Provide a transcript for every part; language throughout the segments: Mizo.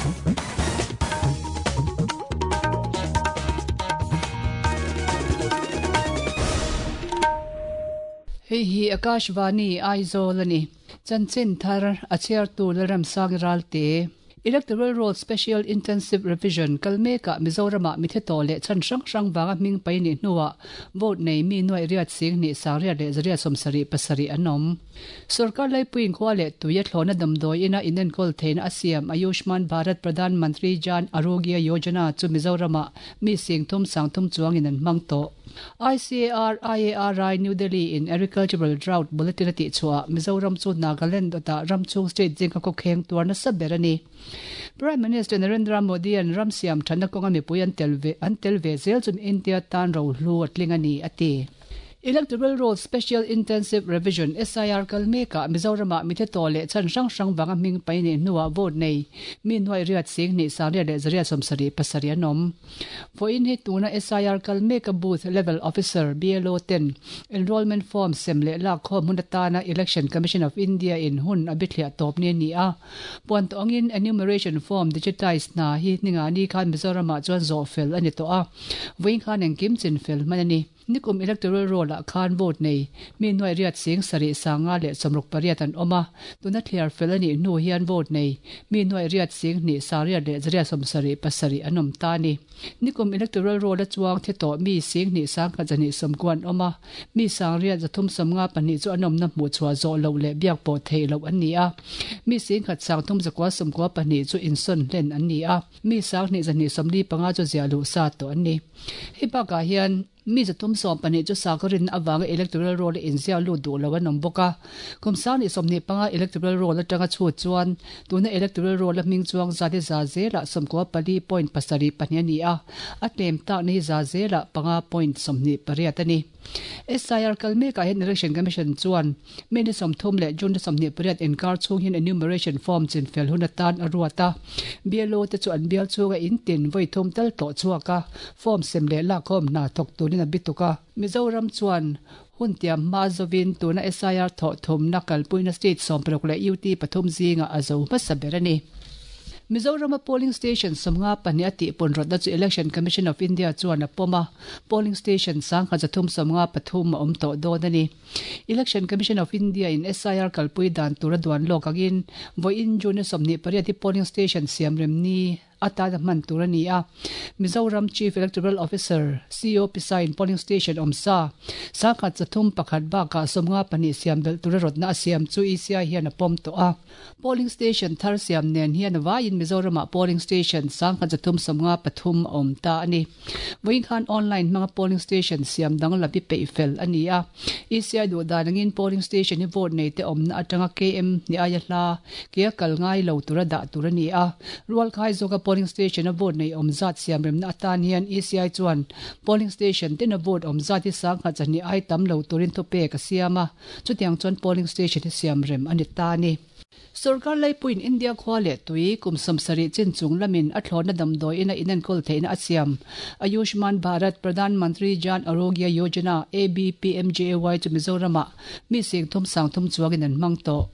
Hei hi Akashvani Aizawl a ni. Chanchin thar a chhiartu Lalramsangi Ralte. Electoral Roll Special Intensive Revision kal mekah Mizoramah mithe tawh leh chhan hrang hrang vanga hming pai nih hnuah vote nei mi nuaih riat sing hnih sang riat leh zariat 77 an awm. Sorkar laipuiin khua leh tui a thlawhna damdawi ina inenkawl theihna a siam Ayushman Bharat Pradhan Mantri Jan Arogya Yojana chu Mizoramah mi sing thum sang thum chuangin an hmang tawh. ICAR IARI New Delhi in Agricultural Drought Bulletin a tihchhuah Mizoram chu Nagaland dawtah ram chhung state zinga khawkheng tuar nasa ber a ni. Prime Minister Narendra Modi an ram siam thatna kawnga mipui an tel ve an tel ve zel chu India tan rohlu a tling a ni, a ti. Electoral Roll Special Intensive Revision, SIR, kal mekah Mizoramah mithe tawh leh chhan hrang hrang vanga hming pai nih hnuah vote nei mi nuaih riat sing hnih sang riat leh zariat 77 an awm. Vawiin hi tuna SIR kal meka Booth Level Officer, BLO, ten Enrolment Form sem leh lak khawm hun atana Election Commission of India in hun a bithliah tawp ni a ni a. Puan tawh angin Enumeration Form digitise hna hi ningani khan Mizoramah chuan zawh fel a ni tawh a, vawiin khan engkim chin fel hman a ni. Nikum Electoral Roll ah khan vote nei mi nuaih riat sing sarih sanga leh 68 an awm a, tuna thliar fel a nih hnu hian vote nei mi nuaih riat sing hnih sang riat leh zariat 77 an awm ta a ni. Nikum Electoral Roll a chuang thi tawh mi sing hnih sang khat zahnih 90 an awm a, mi sang riat zathum 52 chu an awmna hmuh chhuah zawh loh leh biak pawh theih loh an ni a, mi sing khat sang thum zakua 92 chu insawn hlen an ni a. Mi sang hnih zahnih 45 chu ziah luh sa tawh an ni. Hei bakah hian mi 312 chu sakhaw rinna avanga electoral roll a inziak lut duh lo an awm bawk a. Kum sang hnih 25 electoral roll atanga chhut chuan tuna electoral roll a hming chuang zat hi za zelah 94.72 a ni a, a tlem takna hi za zelah 5.28 a ni. SIR kal mekah hian Election Commission chuan May ni 30 leh June ni 28 inkar chhung hian enumeration form chinfel hun atan a ruat a. BLO te chu an bial chhunga in tin vawi thum tal tawh chhuak a, form sem leh lakkhawm hna thawk turin a bituk a. Mizoram chuan hun tiam hma zovin tuna SIR thawh thumna kalpuina state 16 leh UT pathum zingah a zo hmasa ber a ni. Mizorama polling station 52 a tihpun rawtna chu Election Commission of India chuan a pawm a, polling station 1353 a awm tawh dawn a ni. Election Commission of India in SIR kalpui dan tur a duan lawk angin vawiin June 28 hi polling station siam rem ni atan a hman tur a ni a. Mizoram Chief Electoral Officer, CO, Pisa in polling station awm sa 1301 bakah 52 siam belh tura rawtna a siam chu ECI hian a pawm tawh a. Polling station thar siam nen hian vaiin Mizoramah polling station 1353 a awm ta a ni. Vawiin khan online hmanga polling station siam danglam hi peih fel a ni a. ECI duh dan angin polling station hi vote nei te awmna atanga KM ni aia hla ke a kal ngai lo tura dah tur a ni a. Rualkhai zawka polling station a vote nei awm zat siam remna atan hian ECI chuan polling station tina vote awm zat hi 1200 ai tam lo turin thupek a siam a. Chutiang chuan polling station hi siam rem a ni ta a ni. Sorkar laipuiin India khua leh tui kum 70 chin chung lamin a thlawhna damdawi ina inenkawl theihna a siam. Ayushman Bharat Pradhan Mantri Jan Arogya Yojana, ABPMJAY, chu Mizoramah mi sing thum sang thum chuangin an hmang tawh.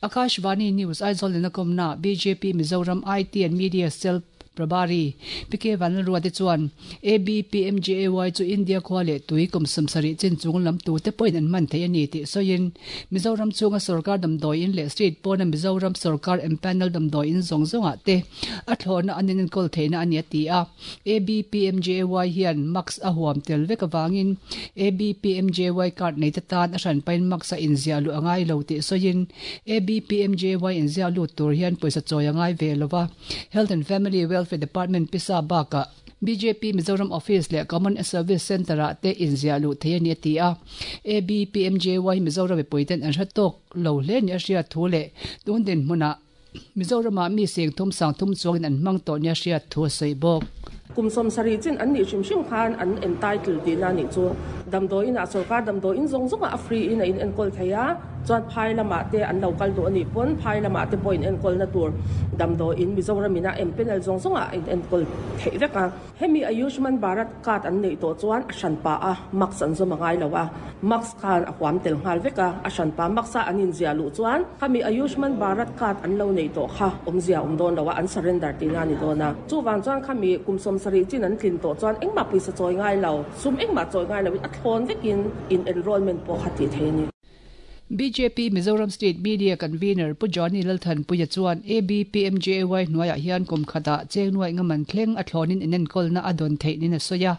Akashvani News Aizawl in a kawmna bjp Mizoram IT and Media Cell Prabhari, PK Vanlalruate chuan ABPMJAY chu India khua leh tui kum 70 chin chung lam tute pawhin an hman thei a ni tih sawiin Mizoram chhunga sorkar damdawi in leh state pawna Mizoram sorkar empanel damdawi in zawng zawngah te a thlawhna an inenkawl theihna a ni a ti a. ABPMJAY hian mask a huam tel vek avangin ABPMJAY card neite tan a hranpain mask a inziah luh a ngai lo tih sawiin ABPMJAY inziah lut tur hian pawisa chawi a ngai ve lo va. Health and Family Welfare Department pisa bakah bjp Mizoram Office leh Common Service Centre-ah te inziah luh thei a ni a ti a. ABPMJY hi Mizoram mipuiten an hre tawk lo hle ni a hriat thu leh tun dinhmunah Mizoramah mi seng thum sang thum chuangin an hmang tawh nia hriat thu a sawi bawk. Kum 70 chin an nih hrim hrim khan an entitle tihna a nih chu. Damdawiinah sorkar damdawiin zawng zawngah a free in a inenkawl thei a. Chuan phai lamah te an lo kal duh a nih pawn phai lamah te pawh in enkawlna tur damdawiin Mizoram in a empanel zawng zawng ah a in enkawl theih vek a. Hemi Ayushman Bharat card an neih tawh chuan a hranpa a mask an zawm a ngai lo a, mask khan a huam tel nghal vek a, a hranpa mask a an inziah luh chuan khami Ayushman Bharat card an lo neih tawh kha awmzia a awm dawn lo a, an surrender tihna a ni dawn a. Chuvang chuan khami kum 70 chin an tlin tawh chuan engmah pawisa chawi ngai lo, sum engmah chawi ngai loin a thlawn vekin in enrollment pawh kha tih theih a ni. Bjp Mizoram State Media Convener Pu Johnny Lalthanpuia chuan ABPMJAY hnuaiah hian kum khatah cheng nuaih nga man thleng a thlawnin inenkawlna a dawn theih niin a sawi a.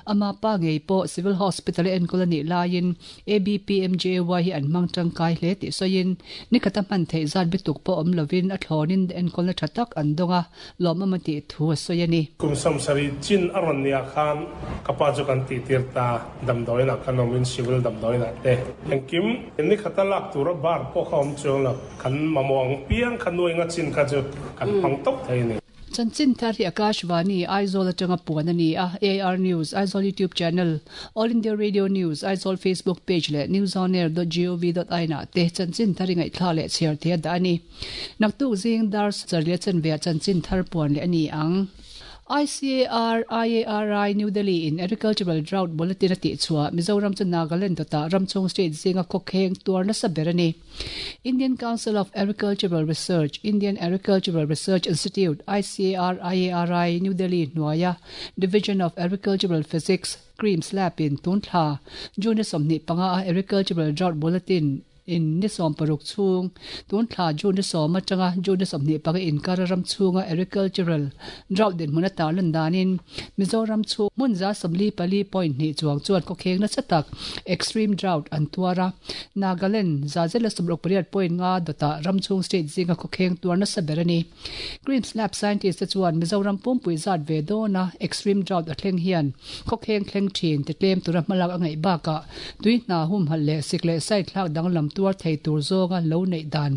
Ama pa ngei pawh Civil Hospital a enkawl a nih laiin ABPMJAY hi an hmang tangkai hle tih sawiin ni khata hman theih zat bituk pawh awm lovin a thlawnin enkawlna tha tak an dawng a, lawmawm a tih thu a sawi a ni. Kum 70 chin a rawn nia khan ka pa chu kan tihtir ta. Damdawiinah kan awmin civil damdawiinah te engkim ni khata lak tura bar pawh kha awm chuang lo. Kan mamawh ang piang kha nuai nga chin kha chu kan hmang tawp thei a ni. Chanchin thar hi Akashvani, Aizawl atanga puan a ni a, AIR News, Aizawl YouTube channel, All India Radio News, Aizawl Facebook page leh newsonair dot gov dot in ah te chanchin thar i ngaihthlak leh chhiar thei a dah a ni. Naktuk zing dar sarih chanve ah chanchin thar puan leh a ni ang. ICAR, IARI, New Delhi in Agricultural Drought Bulletin a tihchhuah Mizoram chu Nagaland dawtah ramchhung state zinga khawkheng tuar nasa ber a ni. Indian Council of Agricultural Research, Indian Agricultural Research Institute, ICAR, IARI, New Delhi hnuaia Division of Agricultural Physics, CREAMS Lab in tun thla June 25 a Agricultural Drought Bulletin in ni 16 chhung tun thla June 10 atanga June 25 inkar ram chhunga agricultural drought dinhmun a tarlan danin Mizoram chu hmun za 44.2 chuang chuan khawkheng nasa tak extreme drought an tuar a. Nagaland za zela 68.5 dawtah ram chhung state zinga khawkheng tuar nasa ber a ni. CREAMS Lab scientist te chuan Mizoram pumpui zat ve dawna extreme drought a thleng hian khawkheng thleng thin ti tlem tura hmalak a ngaih bakah tui hna humhalh leh sik leh sai thlak danglam tuar thei tur zawnga lo neih dan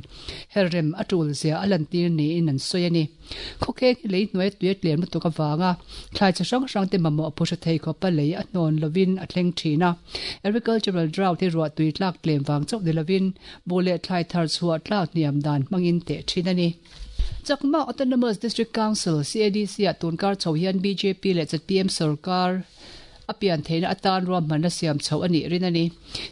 herrem a tul zia a lantir niin an sawi a ni. Khawkheng hi lei hnuai tui a tlem lutuk avanga thlai chi hrang hrang te mamawh phuhra thei khawpa lei a hnawn lovin a thleng thin a. Agricultural drought hi ruah tui tlak tlem vang chauh ni lovin buh leh thlai thar chhuah tlak hniam dan hmangin teh thin a ni. Chakma Autonomous District Council, CADC, ah tunkar chho hian bjp leh zpm sarkar a pian theihna atan ruahmanna siam chho a nih rin a ni.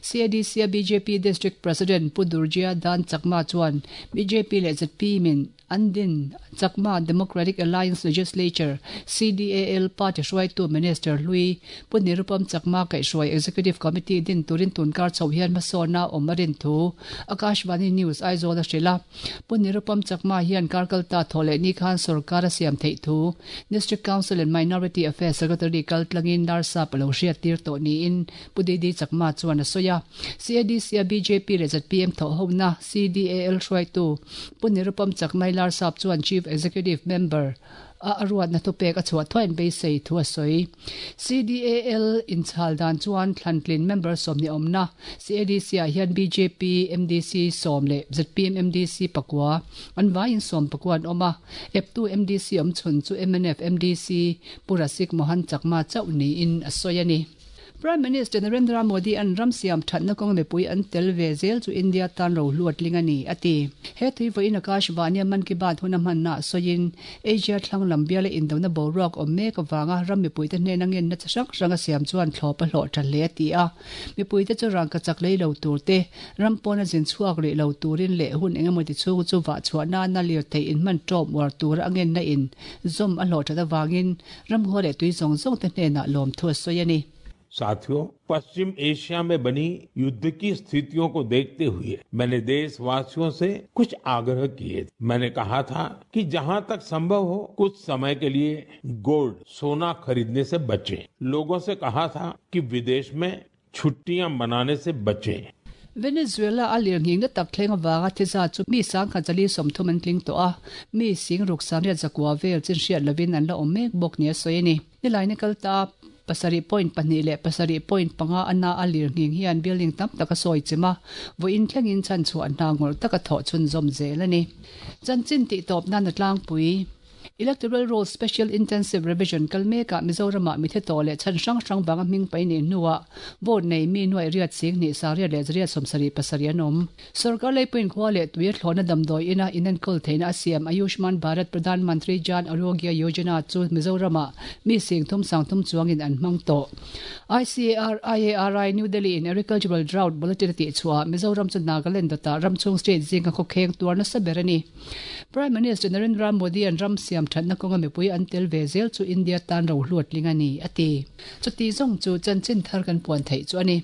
CADC a bjp District President Pu Durjya Dan Chakma chuan bjp leh zpm in an din Chakma Democratic Alliance Legislature, CDAL, party hruaitu Minister Hlui Pu Nirupam Chakma kaihhruai Executive Committee din turin tunkar chho hian hmasawnna awm a rin thu Akashvani News Aizawl a hrilh a. Pu Nirupam Chakma hian karkalta thaw leh ni khan sarkar a siam theih thu District Council and Minority Affairs Secretary kal tlangin Narsap a lo hriat tir tawh niin Pu Didi Chakma chuan a sawi a. CADC a bjp leh zpm thawh hona CDAL hruaitu Pu Nirupam Chakma Larsap chuan Chief Executive Member a a ruatna thupek a chhuah thuain beisei thu a sawi. CDAL inchhal dan chuan thlantlin member 20 awmna CADC ah hian bjp MDC 10 leh zpm MDC pakua an vaiin 10 pakua an awm a. Eptu MDC awm chhun chu MNF MDC Pu Rasik Mohan Chakma chauh niin a sawi a ni. Prime Minister Narendra Modi an ram siam thatna kawng mipui an tel ve zel chu India tan ro hluat ling a ni, a ti. He tui vawiin Akashvani a Mann Ki Baat hun a hmanna sawiin Asia thlang lam biala indona boruak awm mek avanga ram mipuite hnena ngenna chi hrang hrang a siam chuan thlawp a hlawh tha hle a ti a. Mipuite chu rangka chak lei lo tur te, ram pawna zin chhuak rih lo turin leh hun engemaw ti chhung chu vah chhuah nana lirthei inhman tawp uar tura a ngenna in zawm a hlawh that avangin ram ngaw leh tui zawng zawng te hnenah lawmthu a sawi a ni. साथियों, पश्चिम एशिया में बनी युद्ध की स्थितियों को देखते हुए मैंने देशवासियों से कुछ आग्रह किए। मैंने कहा था कि जहां तक संभव हो कुछ समय के लिए गोल्ड, सोना खरीदने से बचें। लोगों से कहा था कि विदेश में छुट्टियां मनाने से बचें। Venezuela a lirnghing na tak thleng awanga thi zat chu mi 1,030 an tling tawh a, mi 6,900 vel chin hriat lovin an la awm mek bawk ni a sawi a ni. Nilai ni kal ta 7.2 leh 7.5 ana a lirnghing hian building tam tak a sawi chem a, vawiin thlengin chhan chhuah hna ngawrh taka thawh chhunzawm zel a ni. Chanchin tih tawp nan a tlangpui. Electoral Roll Special Intensive Revision kal mekah Mizoramah mithe tawh leh chhan hrang hrang vanga hming pai nih hnuah vote nei mi nuaih riat sing hnih 8 leh 877 an awm. Sorkar leipuiin khua leh tui a thlawhna damdawi ina inenkawl theihna a siam Ayushman Bharat Pradhan Mantri Jan Arogya Yojana chu Mizoramah mi 30,000 30 chuangin an hmang tawh. ICAR, IARI, New Delhi in Agricultural Drought Bulletin a tihchhuah Mizoram chu Nagaland dawtah ramchhung state zinga khawkheng tuar nasa ber a ni. Prime Minister Narendra Modi an ram siam thatna kawnga mipui an tel ve zel chu India tan ro hluat tling a ni, a ti. Chuti zawng chu chanchin thar kan puan theih chu a ni.